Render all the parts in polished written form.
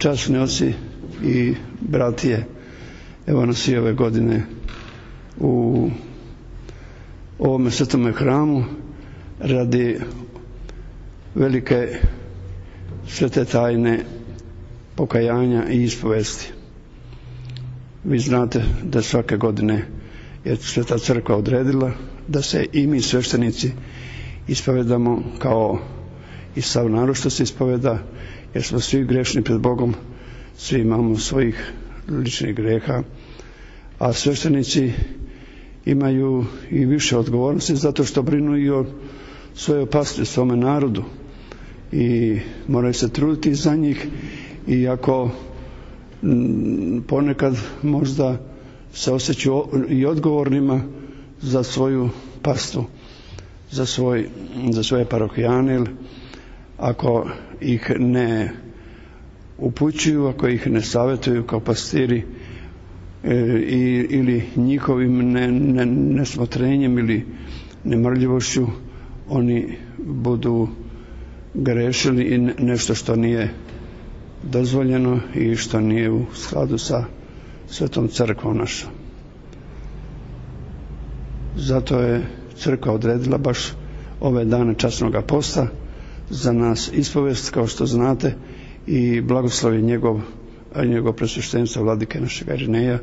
časni oci i bratije, evo nas i ove godine u ovome svetome hramu radi velike svete tajne pokajanja i ispovesti. Vi znate da svake godine je Sveta Crkva odredila da se i mi sveštenici ispovedamo kao i sav narod što se ispoveda, jer smo svi grešni pred Bogom, svi imamo svojih ličnih greha, a sveštenici imaju i više odgovornosti zato što brinu i o svojoj pastvi, svome narodu i moraju se truditi za njih, iako ponekad možda se osjećaju i odgovornima za svoju pastvu, za svoje parohijane, ako ih ne upućuju, ako ih ne savjetuju kao pastiri ili njihovim nesmotrenjem ili nemarljivošću, oni budu grešili i nešto što nije dozvoljeno i što nije u skladu sa Svetom Crkvom našom. Zato je Crkva odredila baš ove dane časnoga posta za nas ispovest, kao što znate, i blagoslov je njegov presveštenstva vladike našega Irineja,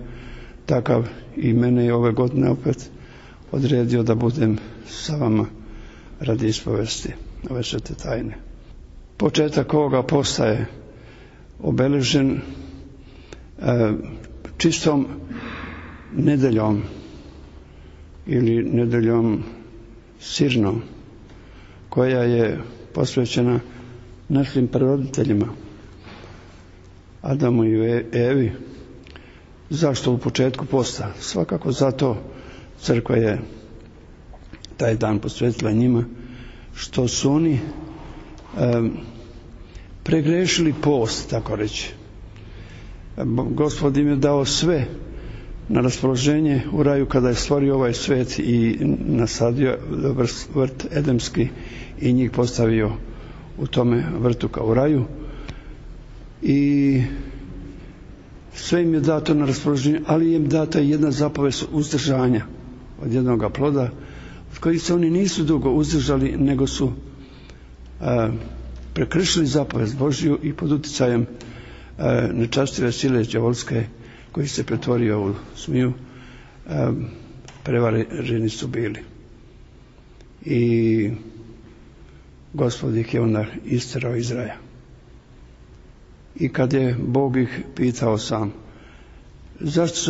takav i mene je ove godine opet odredio da budem sa vama radi ispovesti ove svete tajne. Početak ovoga posta je obeležen čistom nedeljom ili nedeljom sirnom, koja je posvećena našim praroditeljima, Adamu i Evi. Zašto u početku posta? Svakako zato Crkva je taj dan posvetila njima, što su oni pregrešili post, tako reći. Gospod im je dao sve na raspoloženje u raju kada je stvorio ovaj svet i nasadio vrt edemski i njih postavio u tome vrtu kao u raju, i sve im je dato na raspoloženje, ali im data jedna zapovest uzdržanja od jednoga ploda, od kojih se oni nisu dugo uzdržali, nego su prekršili zapovest Božju i pod uticajem nečastive sile đavolske, koji se pretvorio u zmiju, prevareni su bili. I Gospod ih je onda isterao iz raja. I kad je Bog ih pitao sam, zašto su